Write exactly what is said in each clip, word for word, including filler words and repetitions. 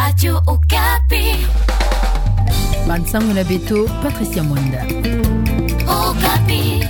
Radio Okapi. Bansango na beto, Patricia Mwanda. Okapi.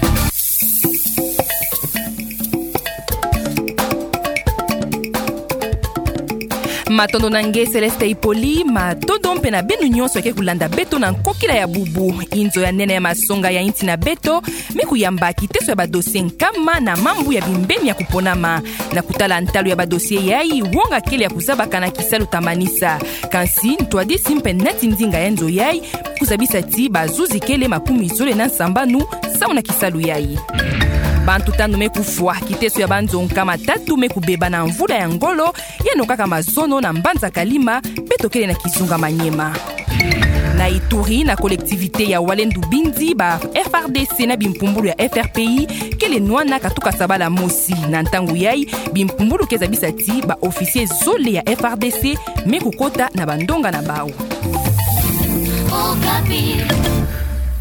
Matondo na nge Céleste Ipoli, matondo mpe na beno nyonso ya ke kulanda beto na nkokila ya bubu. Inzo ya nene ya masonga ya insi na beto me kuyamba kiteso ya badossier nkama na mambu ya bimbeni ya kuponama. Na kutala ntalu ya badossier yai, wonga kele ya kuzabaka na kisalu ta manisa. Kansi ntwadisi mpe nati ndinga ya nzo yai, kuzabisa ti bazuzi kele makumi zole na nsambanu samu na kisalu yai. Bantu tanu me kufwa kiteso ya banzo nkama tatu me kubeba na mvula ya ngolo, yeno kaka mazono na mbanza Kalima, beto kele na kizunga Maniema. Na Ituri, na collectivité ya Walendu Bindi, ba F R D C na bimpumbulu ya F R P I kele nwana katuka sabala mosi. Na ntangu yai, bimpumbulu ke zabisa ti ba officier zole ya F R D C me kukota na bandonga na bau. Okapi.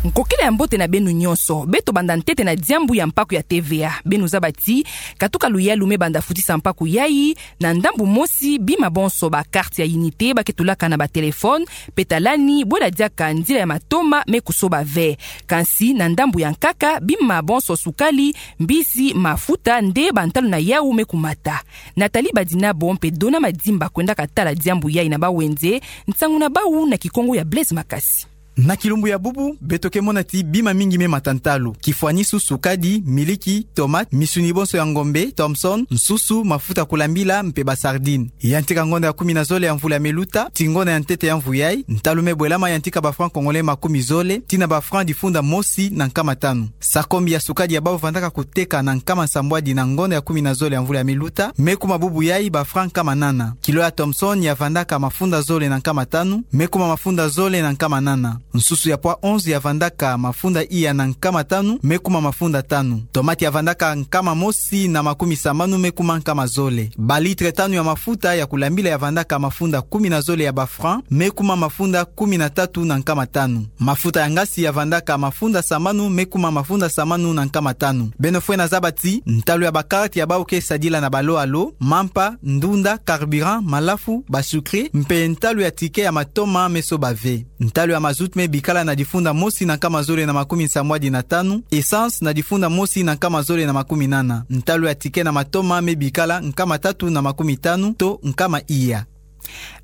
Nkokila ya mbote na beno nyonso. Beto banda ntete na diambu ya mpaku ya T V A. Beno zaba ti katuka luyalu me banda futisa mpaku yai, na ndambu mosi, bima bonso ba carte ya unité ba ke tulaka na ba téléphone, mpe talani bwela diaka nzila ya matoma me kusoba ve. Kansi na ndambu ya nkaka, bima bonso sukali, mbizi, mafuta nde bantalu na yau me kumata. Nathalie Badinabo mpe Dona Madimba kwendaka tala diambu yai na bawenze. Nsangu na bau na Kikongo ya Blaise Makasi. Na kilumbu ya bubu, beto ke mona ti bima mingi me mata ntalu. Kifwanisu, sukadi, miliki, tomate, misuni bonso ya ngombe, Thomson, nsusu, mafuta kulambila, mpe ba sardine. Yantika ngonda ya kumi na zole ya mvula me luta, tii ngonda ya ntete ya mvu yai, ntalu me bwelama yantika ba francs congolais makumi zole, tii na ba francs difunda mosi na nkama tanu. Sakombi ya sukadi ya bau vandaka kuteka na nkama nsambwadi na ngonda ya kumi na zole ya mvula me luta, me kuma bubu yai ba francs nkama nana. Kilo ya Thomson ya vandaka mafunda zole na nkama tanu, me kuma mafunda zole na nkama nana. Nsusu ya poids onze ya vandaka mafunda iya na nkama tanu, me kuma mafunda tanu. Tomate ya vandaka nkama mosi na makumi sambanu, me kuma nkama zole. Ba litre tanu ya mafuta ya kulambila ya vandaka mafunda kumi na zole ya ba francs, me kuma mafunda kumi na tatu na nkama tanu. Mafuta ya ngasi ya vandaka mafunda sambanu, me kuma mafunda sambanu na nkama tanu. Beno fwena zaba ti ntalu ya ba carte ya bau ke sadila na balo-alo, mampa, ndunda, carburant, malafu, ba sucre, mpe ntalu ya ticket ya matoma me soba ve. Ntalu ya mazout me bikala na difunda mosi na nkama zole na makumi nsambwadi na tanu, essence na difunda mosi na nkama zole na makumi nana. Ntalu ya ticket na matoma me bikala nkama tatu na makumi tanu to nkama iya.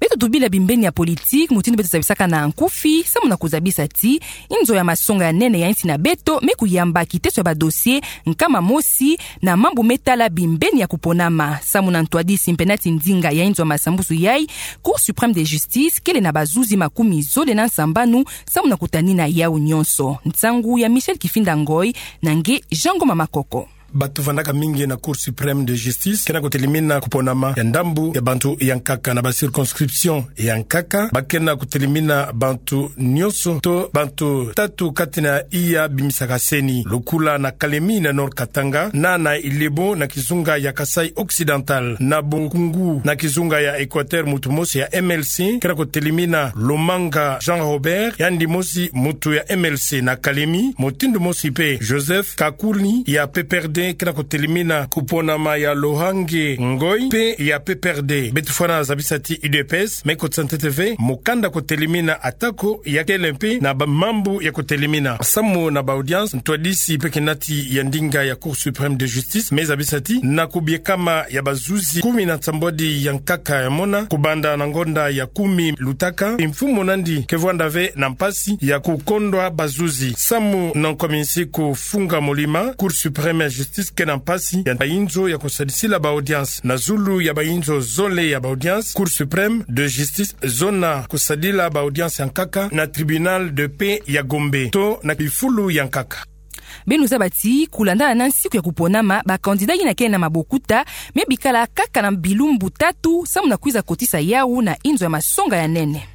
Beto tubila bimbeni ya politique, mutindu beto zabisaka na nkufi, samu na kuzabisa ti inzo ya masonga ya nene ya insi na beto me kuyamba kiteso ya ba dossier nkama mosi na mambu me tala bimbeni ya kuponama. Samu na ntwadisi mpe nati ndinga ya inzo ya masambusu yai, Cour suprême de justice kele na bazuzi makumi zole na nsambanu samu na kutanina yau nyonso. Nsangu ya Michel Kifinda Ngoy na nge Jean Ngoma Makoko. Bato vandaka mingi na Cour suprême de justice ke na kutelimina kuponama ya ndambu ya bantu ya nkaka na ba circonscription ya nkaka. Ba ke na kutelimina bantu nyonso to bantu tatu kati na iya bimisaka CENI. Lokola na Kalemi na Nord-Katanga, na na Ilebo na kizunga ya Kasaï occidental, na Bokungu na kizunga ya Équateur, mutu mosi ya M L C ke na kutelimina. Lomanga Jean Robert, yandi mosi mutu ya M L C na Kalemi, mutindu mosi mpe Joseph Kakuli ya P P R D ke na kutelimina kuponama ya Lohange Ngoy mpe ya P P R D. Beto fwana zabisa ti U D P S me kotisa ntete ve mukanda kutelimina atako ya kele mpe na ba mambu ya kutelimina. Samu na ba audience, ntwadisi mpe kenati ya ndinga ya Cour suprême de justice me zabisa ti na kubiekama ya bazuzi kumi na nsambwadi ya nkaka ya mona, kubanda na ngonda ya kumi lutaka, mfumu nandi ke vwanda ve na mpasi ya kukondwa bazuzi. Samu na nkominsi kufunga molima, Cour suprême ya justice ke na mpasi ya bayinzo ya kusadisila ba audience. Na zulu ya bayinzo zole ya ba audience, Cour suprême de justice zona kusadila ba audience ya nkaka na tribunal de paix ya Gombe to na bifulu ya nkaka. Beno zaba ti kulandana na nsiku ya kuponama, ba candidat yina ke na mabokuta me bikala kaka na bilumbu tatu samu na kwiza kotisa yau na inzo ya masonga ya nene.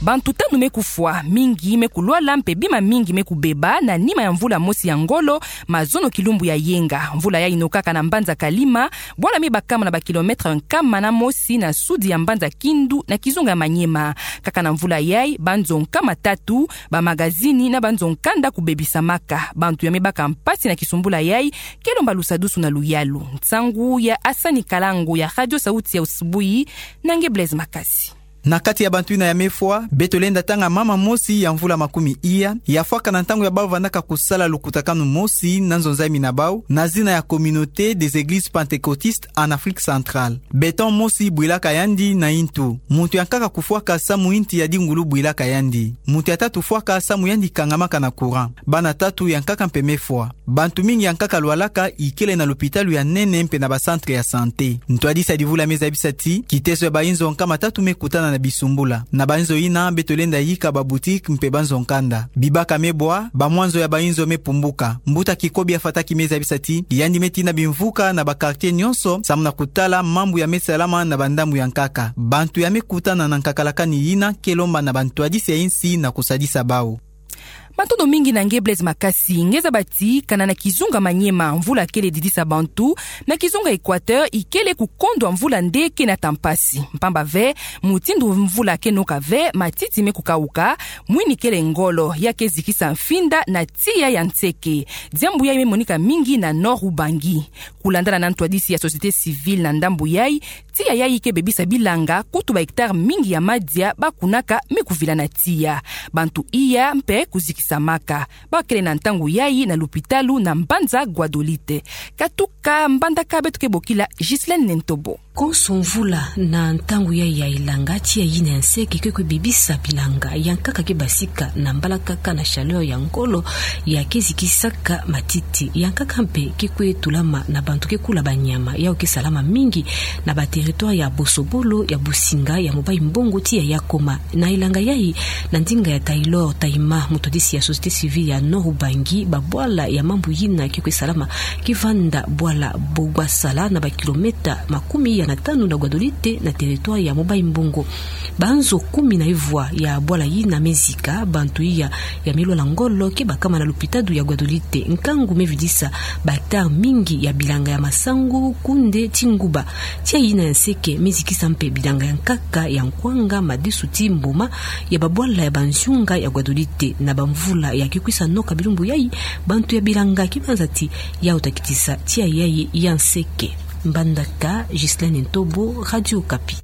Bantu tanu me kufwa, mingi me kulwala mpe bima mingi me kubeba na nima ya mvula mosi ya ngolo, mazono kilumbu ya yenga. Mvula yayi inokaka na mbanza Kalima, bwala me bakama na ba kilomètre nkama na mosi na sudi ya mbanza Kindu na kizunga ya Maniema. Kaka na mvula yayi, banzo nkama tatu, ba magazini na banzo nkanda kubebisamaka. Bantu ya me baka mpasi na kisumbula yayi, ke lomba lusadusu na luyalu. Nsangu ya Asani Kalango ya Radio Sauti ya Usubuhi, na nge Blaise Makasi. Na kati ya bantu yina ya me fwa, beto lenda tanga mama mosi ya mvula makumi iya, ya fwaka na ntangu ya bau vandaka kusala lukutakanu mosi na nzonzami na bau, na zina ya Communauté des Églises Pentecôtistes en Afrique Centrale. Béton mosi bwilaka yandi na intu. Muntu ya nkaka kufwaka samu inti ya dingulu bwilaka yandi. Muntu ya tatu fwaka samu yandi kangamaka na courant. Bana tatu ya nkaka mpe me fwa. Bantu mingi ya nkaka lwalaka ikele na lopitalo ya nene mpe na ba centre ya santé. Ntwadisi ya divula me zabisa ti, kiteso ya bainzo nkama tatu me kutana na bisumbula. Na bainzo yina beto lenda yika ba boutique mpe banzo nkanda. Bibaka me bwa, bamwanzo ya bainzo me pumbuka. Mbuta Kikobi ya Fataki me zabisa ti, yandi me tina bimvuka na ba quartier nyonso, samu na kutala mambu ya me salama na bandambu ya nkaka. Bantu ya me kutana na nkakalakani yina ke lomba na bantwadisi ya insi na kusadisa bau. Matondo mingi na nge Blaise Makasi. Nge zaba ti, kana na kizunga Maniema, mvula kele didisa bantu, na kizunga Équateur, ikele kukondwa mvula nde ke nata mpasi. Mpamba ve, mutindu mvula ke noka ve, matiti me kukauka, mwini kele ngolo, ya ke zikisa mfinda na tiya ya nseke. Diambu yayi me monika mingi na Nord-Ubangi. Kulandana na ntwadisi ya société civile na ndambu yayi, tiya yayi ke bebisa bilanga, kutu ba hectare mingi ya madia bakunaka me kuvila na tiya. Bantu iya mpe kuzikisamaka. Bakele na ntangu yayi na lupitalu na mbanza Guadolite. Katuka Mbandaka, beto ke bokila Ghislaine Nentobo. Konso mvula na ntangu yayi ya elanga, tiya yina ya nseke ke kwe bebisa bilanga. Ya nkaka ke basika na mbalakaka na chaleur ya ngolo, ya ke zikisaka matiti. Ya nkaka mpe ke kwe tulama na bantu ke kula banyama. Yawu ke salama mingi na ba territoire ya Bosobolo, ya Businga, ya Mobayi-Mbongo, tiya ya Koma. Na elanga yayi, na ndinga ya Taylor Taima, mutwadisi ya société civile ya Nord-Ubangi, babwala ya mambu yina ke kwe salama, ke vanda bwala Bogwasala na ba kilomètre makumi iya na tanu na Guadolite na territoire ya Mobayi-Mbongo. Banzo kumi na ivwa ya bwala yina me zika, bantu iya ya me lwala ngolo ke bakama na lupitalu ya Guadolite. Nkangu me vidisa ba hectare mingi ya bilanga ya masangu, kunde, tinguba. Tiya yina ya nseke me zikisa mpe bilanga ya nkaka ya nkwanga, madesu ti mboma, ya babwala ya banzunga ya Guadolite. Na bamvula ya ke kwisa noka bilumbu yayi, bantu ya bilanga ke banza ti yawu ta kitisa tiya yayi ya nseke. Mbandaka, Ghislaine Ntobo, Radio Okapi.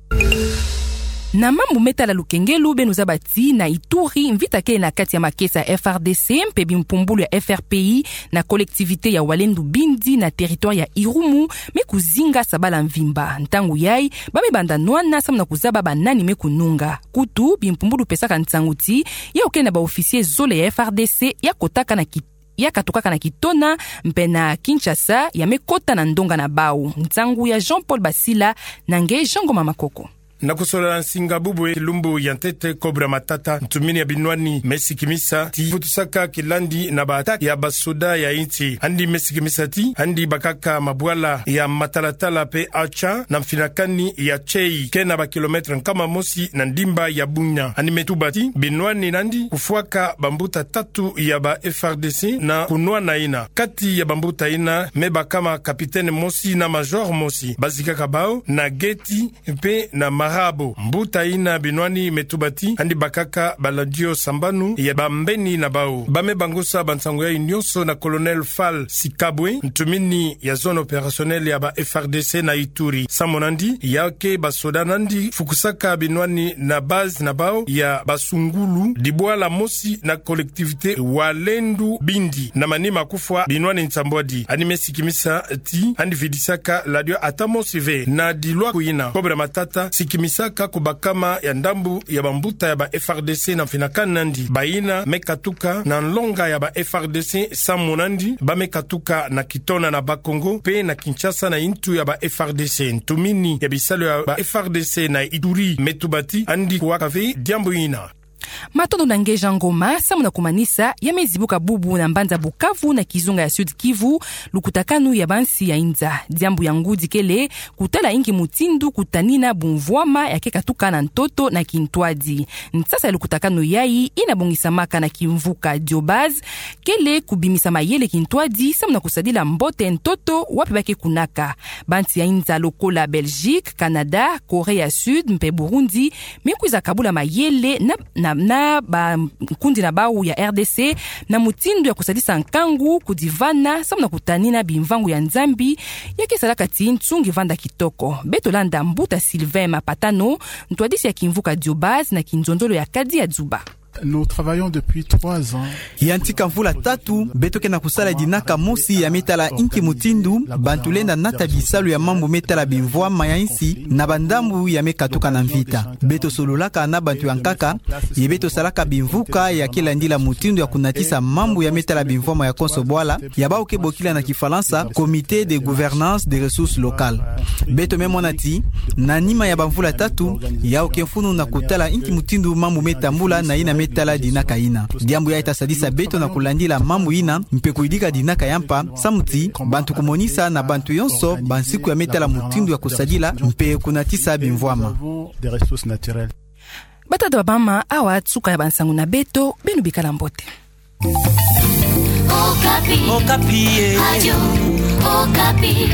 Na mambu me tala lukengelu, beno zaba ti na Ituri, mvita kele na kati ya makesa ya F R D C mpe bimpumbulu ya F R P I na collectivité ya Walendu Bindi na territoire ya Irumu, me kuzinga sabala mvimba. Ntangu yayi, ba me banda nwana samu na kuzaba banani me kununga. Kutu, bimpumbulu pesaka nsangu ti, yawu kele na ba officier zole ya F R D C ya kotaka na ki-, ya katukaka na Kitona, mpe na Kinshasa, ya me kota na ndonga na bawu. Nsangu ya Jean-Paul Basila, na nge Jean Ngoma Makoko. Na kusola nsinga bubu e kilumbu ya ntete Cobra Matata, ntumini ya binwani me sikimisa ti futusaka kilandi na ba attaque ya basoda ya insi. Yandi me sikimisa ti, yandi bakaka mabwala ya Matalatala pe Acha na mfinakani ya Tchei, ke na ba kilomètre nkama mosi na ndimba ya Bunia. Yandi me tuba ti, binwani na yandi kufwaka bambuta tatu ya ba F R D C na kunwana yina. Kati ya bambuta yina, me bakama capitaine mosi na major mosi. Bazikaka bawu na Geti mpe na Marabo. Mbuta yina binwani me tuba ti, yandi bakaka baladio sambanu ya bambeni na bawu. Ba me bangusa bansangu yayi nyonso na Colonel Fall Sikabwe, ntumini ya zone opérationnelle ya ba F R D C na Ituri. Samu na yandi, ya ke basoda na yandi fukusaka binwani na base na bawu ya Basungulu, dibwala mosi na collectivité Walendu Bindi, na manima kufwa binwani nsambwadi. Yandi me sikimisa ti, yandi vidisaka ladio ata mosi ve. Na dilwaku yina, Cobra Matata sikimisaka kubakama ya ndambu ya bambuta ya ba F R D C na mfinakani na yandi. Bayina me katuka na nlonga ya ba F R D C samu na yandi, ba me katuka na Kitona na Bas-Congo, mpe na Kinshasa na intu ya ba F R D C. Ntumini ya bisalu ya ba F R D C na Ituri me tuba ti, yandi kuwaka ve diambu yina. Matondo na nge Jean Ngoma. Samu na kumanisa, ya me zibuka bubu na mbanza Bukavu na kizunga ya Sud-Kivu lukutakanu ya bansi ya inza. Diambu ya ngudi kele kutala inki mutindu kutanina bumvwama ya ke katuka na ntoto na kintwadi. Nsasa ya lukutakanu yayi ina bongisamaka na kimvuka Diobaz kele kubimisa mayele kintwadi samu na kusadila mbote ntoto wapi ba ke kunaka. Bansi ya inza lokola Belgique, Canada, Corée ya Sud mpe Burundi me kwiza kabula mayele na, na, na bankundi na bawu ya R D C na mutindu ya kusadisa nkangu kudivana samu na kutanina bimvangu ya Nzambi ya ke salaka ti nsungi vanda kitoko. Beto landa mbuta Sylvain Mapatano, ntwadisi ya kimvuka Diobaz na kinzonzolo ya Kadi ya Dzuba. Nous travaillons depuis trois ans. Yantika mvula tatu, beto ke na kusala dinaka mosi ya me tala inki mutindu bantu lenda nata bisalu ya mambu me tala bimvwama ya insi na bandambu ya me katuka na mvita. Beto sololaka na bantu ya nkaka, ye beto salaka bimvuka ya ke landila mutindu ya kunatisa mambu ya me tala bimvwama ya konso bwala, ya bawu ke bokila na Kifalansa Comité de gouvernance des ressources locales. Beto me mona ti, na nima ya bamvula tatu, yawu ke mfunu na kutala inki mutindu mambu me tambula na yina me tala dinaka yina. Diambu yayi ta sadisa beto na kulandila mambu yina, mpe kuyidika dinaka ya mpa, samu ti bantu kumonisa na bantu yonso bansiku ya me tala mutindu ya kusadila mpe kunatisa bimvwama. Batata, bamama, awa suka ya bansangu na beto, beno bikala mbote. Okapi. Okapi, eh. Radio Okapi.